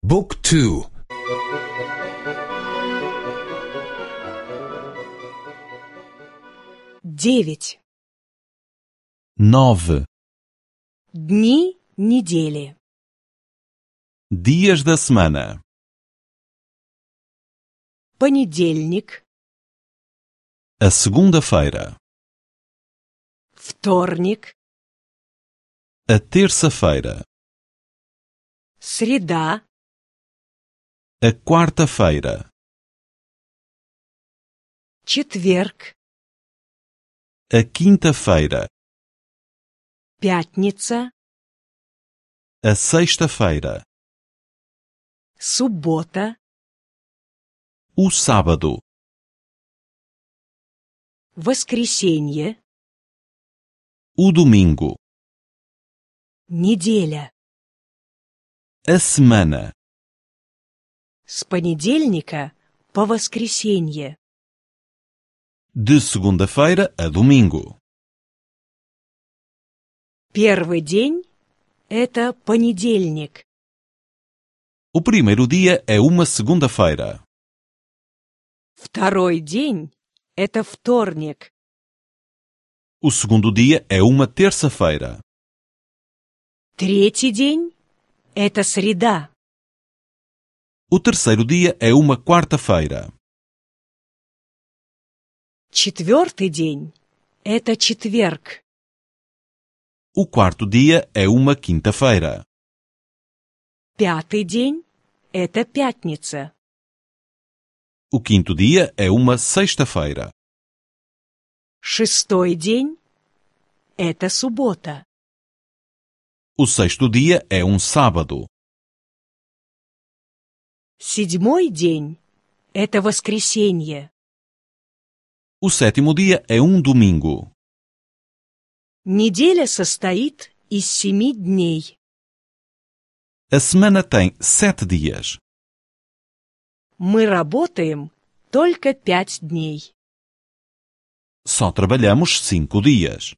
Book 2. 9. 9. Дни недели. Dias da semana. Понедельник. A segunda-feira. Вторник. A terça-feira. Среда. A quarta-feira. Четверг. A quinta-feira. Пятница. A sexta-feira. Суббота. O sábado. Воскресенье. O domingo. Неделя. A semana. С понедельника по воскресенье. De segunda-feira a domingo. Первый день – это понедельник. O primeiro dia é uma segunda-feira. Второй день – это вторник. O segundo dia é uma terça-feira. Третий день – это среда. O terceiro dia é uma quarta-feira. Четвертый день – это четверг. O quarto dia é uma quinta-feira. Пятый день – это пятница. O quinto dia é uma sexta-feira. Шестой день – это суббота. O sexto dia é um sábado. Седьмой день – это воскресенье. O sétimo dia é um domingo. Неделя состоит из 7 дней. A semana tem 7 dias. Мы работаем только 5 дней. Só trabalhamos 5 dias.